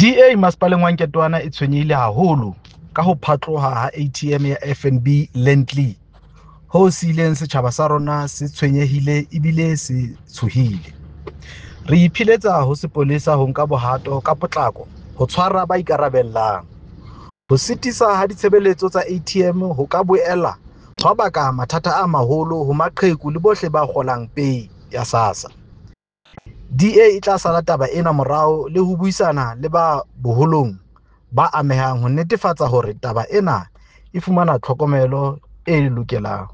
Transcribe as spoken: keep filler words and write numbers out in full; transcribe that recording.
D A masepaleng wa Nketoana e tshwenyehile haholo ka ho phatloha ha A T M ya F N B Lendley, ho siileng setjhaba sa rona se tshwenyehile ebile se tshohile. Re ipiletsa ho sepolesa ho nka bohato ka potlako ho tshwara ba ikarabellang. Ho sitisa ha ditshebeletso tsa A T M ho ka boela hwa baka mathata a maholo ho maqheku le bohle ba kgolang pei ya SASSA. D A e tla sala taba ena morao le ho buisana le ba boholong ba amehang ho netefatsa hore taba ena e fumana tlhokomelo e lokelang.